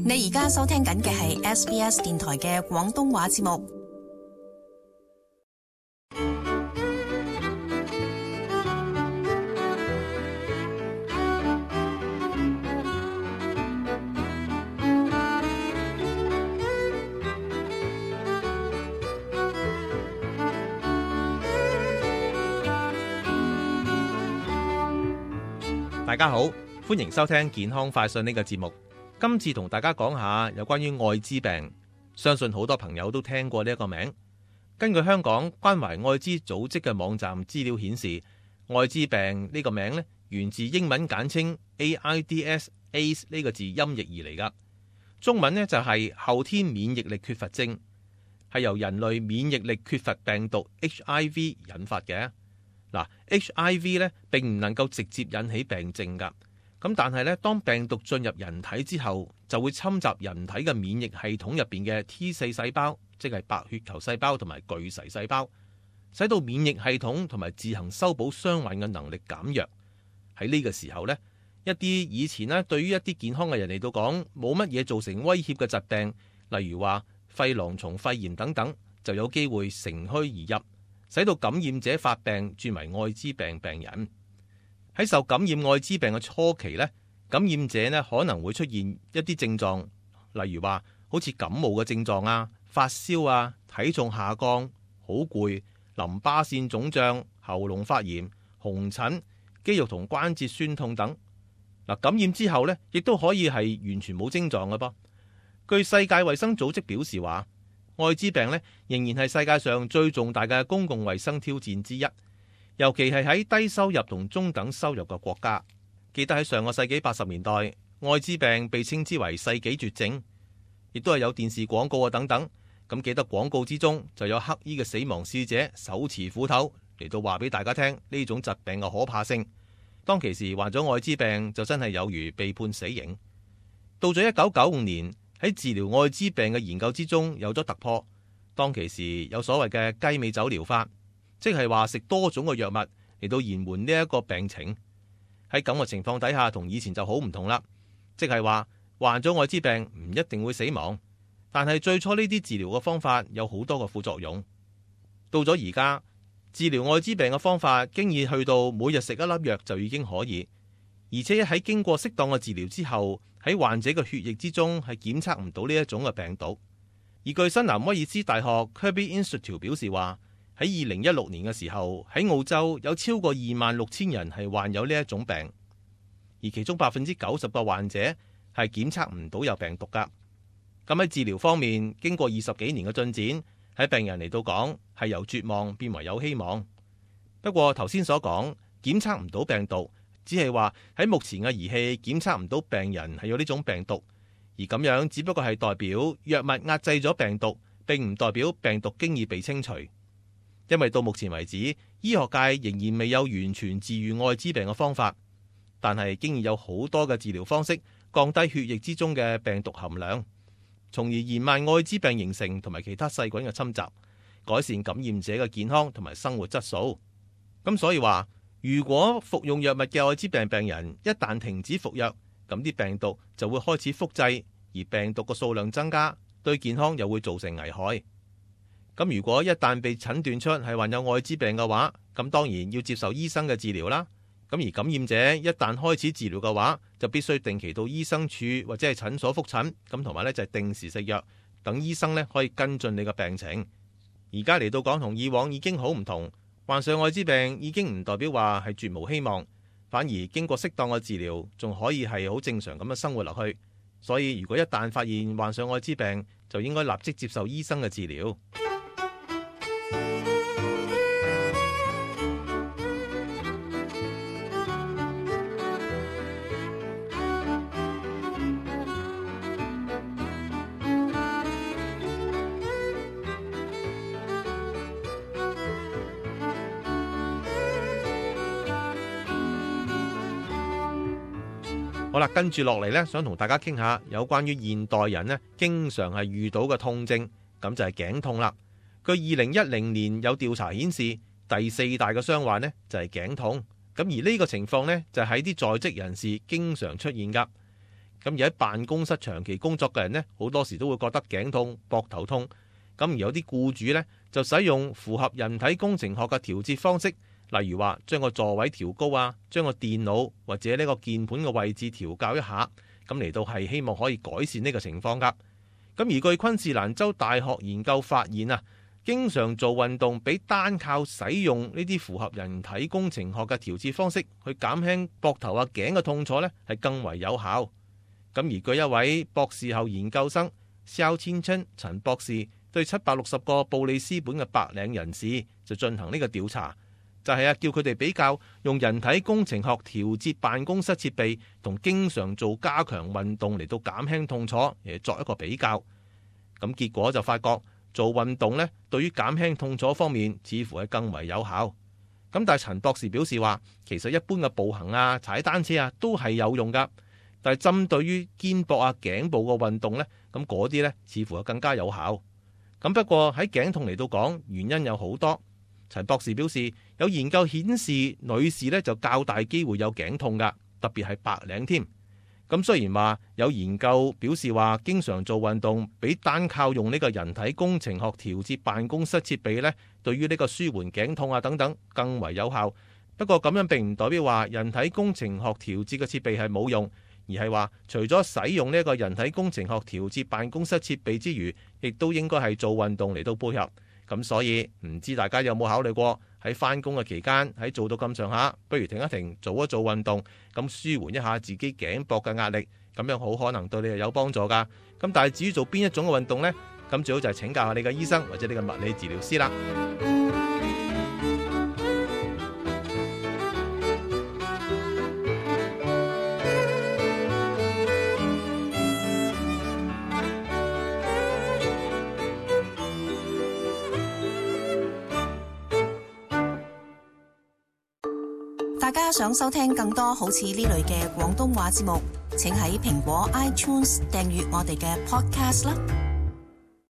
你而家收聽緊嘅係 SBS 電台嘅廣東話節目。大家好，歡迎收聽健康快訊呢個節目。今次同大家講下有關於愛滋病，相信好多朋友都聽過呢一個名。根據香港關懷愛滋組織嘅網站資料顯示，愛滋病呢個名呢源自英文簡稱 AIDS 呢個字音譯而嚟噶。中文呢就係後天免疫力缺乏症，係由人類免疫力缺乏病毒 HIV 引發嘅。嗱，HIV 咧並唔能夠直接引起病症噶，咁但係咧，當病毒進入人體之後，就會侵襲人體嘅免疫系統入邊嘅 T4 細胞，即係白血球細胞同埋巨噬細胞，使到免疫系統同埋自行修補傷患嘅能力減弱。喺呢個時候呢，一啲以前咧對於一啲健康嘅人嚟到講冇乜嘢造成威脅嘅疾病，例如話肺囊蟲肺炎等等，就有機會乘虛而入，使到感染者發病轉為愛滋病病人。喺受感染愛滋病嘅初期呢，感染者呢可能會出現一啲症狀，例如話好似感冒嘅症狀啊、發燒啊、體重下降、好攰、淋巴腺腫脹、喉嚨發炎、紅疹、肌肉同關節酸痛等。嗱，感染之後呢，亦都可以係完全冇症狀嘅噃。據世界衛生組織表示話，愛滋病咧仍然係世界上最重大嘅公共衛生挑戰之一，尤其係喺低收入同中等收入嘅國家。記得喺上個世紀80年代，愛滋病被稱之為世紀絕症，亦都係有電視廣告啊等等。咁記得廣告之中就有黑衣嘅死亡使者手持斧頭嚟到話俾大家聽呢種疾病嘅可怕性。當其時患咗愛滋病就真係有如被判死刑。到咗1995年，喺治療愛滋病嘅研究之中有咗突破。當其時有所謂嘅雞尾酒療法，即係話食多種嘅藥物嚟到延緩呢一個病情。喺咁嘅情況底下，同以前就好唔同啦。即係話患咗愛滋病唔一定會死亡，但係最初呢啲治療嘅方法有好多個副作用。到咗而家，治療愛滋病嘅方法經已去到每日食一粒藥就已經可以，而且喺經過適當嘅治療之後，喺患者嘅血液之中係檢測唔到呢一種嘅病毒。而據新南威爾斯大學 Kirby Institute 表示話，喺2016年嘅時候，喺澳洲有超過26,000人係患有呢一種病，而其中90%嘅患者係檢測唔到有病毒噶。咁喺治療方面，經過20幾年嘅進展，喺病人嚟到講係由絕望變為有希望。不過頭先所講檢測唔到病毒，只係話喺目前嘅儀器檢測唔到病人係有呢種病毒，而咁樣只不過係代表藥物壓制咗病毒，並唔代表病毒經已被清除。因為到目前為止，醫學界仍然未有完全治癒愛滋病嘅方法，但係經已有好多嘅治療方式降低血液之中嘅病毒含量，從而延慢愛滋病形成同埋其他細菌嘅侵襲，改善感染者嘅健康同埋生活質素。咁所以話，如果服用藥物嘅愛滋病病人一旦停止服藥，咁啲病毒就會開始複製，而病毒嘅數量增加，對健康又會造成危害。咁如果一旦被診斷出係患有愛滋病嘅話，咁當然要接受醫生嘅治療啦。咁而感染者一旦開始治療嘅話，就必須定期到醫生處或者係診所覆診，咁同埋就係定時食藥，等醫生可以跟進你嘅病情。而家嚟到講同以往已經好唔同，患上愛滋病已經唔代表話係絕無希望，反而經過適當嘅治療，仲可以係好正常咁樣生活落去。所以如果一旦發現患上愛滋病，就應該立即接受醫生嘅治療。好啦，跟住落嚟呢，想同大家傾下有關於現代人呢經常係遇到嘅痛症，咁就係頸痛啦。據2010年有調查顯示，第4大嘅傷患呢就係頸痛。咁而呢個情況呢，就喺啲在職人士經常出現噶。咁而喺辦公室長期工作嘅人呢，好多時都會覺得頸痛、膊頭痛。咁而有啲僱主呢，就使用符合人體工程學嘅調節方式，例如話將個座位調高啊，將個電腦或者呢個鍵盤嘅位置調校一下，咁嚟到係希望可以改善呢個情況㗎。咁而據昆士蘭州大學研究發現啊，經常做運動比單靠使用呢啲符合人體工程學嘅調節方式去減輕膊頭啊頸嘅痛楚呢，係更為有效。咁而據一位博士後研究生蕭千春陳博士對760個布里斯本嘅白領人士就進行呢個調查，就係叫佢哋比較用人體工程學調節辦公室設備同經常做加強運動嚟到減輕痛楚，而作一個比較。咁結果就發覺做運動呢，對於減輕痛楚方面似乎係更為有效。咁但係陳博士表示話，其實一般嘅步行啊、踩單車啊都係有用㗎，但係針對於肩膊啊、頸部嘅運動呢，咁嗰啲呢似乎係更加有效。咁不過喺頸痛嚟到講，原因有好多。陳博士表示，有研究顯示女士呢就較大機會有頸痛㗎，特別係白領添。咁雖然話有研究表示話，經常做運動比單靠用呢個人體工程學調節辦公室設備呢，對於呢個舒緩頸痛啊等等更為有效。不過咁樣並唔代表話人體工程學調節嘅設備係冇用，而係話除咗使用呢個人體工程學調節辦公室設備之餘，亦都應該係做運動嚟到配合。咁所以唔知大家有冇考慮過喺返工嘅期間，喺做到咁上下，不如停一停，做一做運動，咁舒緩一下自己頸膊嘅壓力，咁樣好可能對你係有幫助㗎。咁但係至於做邊一種嘅運動呢？咁最好就係請教下你嘅醫生或者你嘅物理治療師啦。大家想收聽更多好似呢類嘅廣東話節目，請喺蘋果 iTunes 訂閱我哋嘅 Podcast 啦。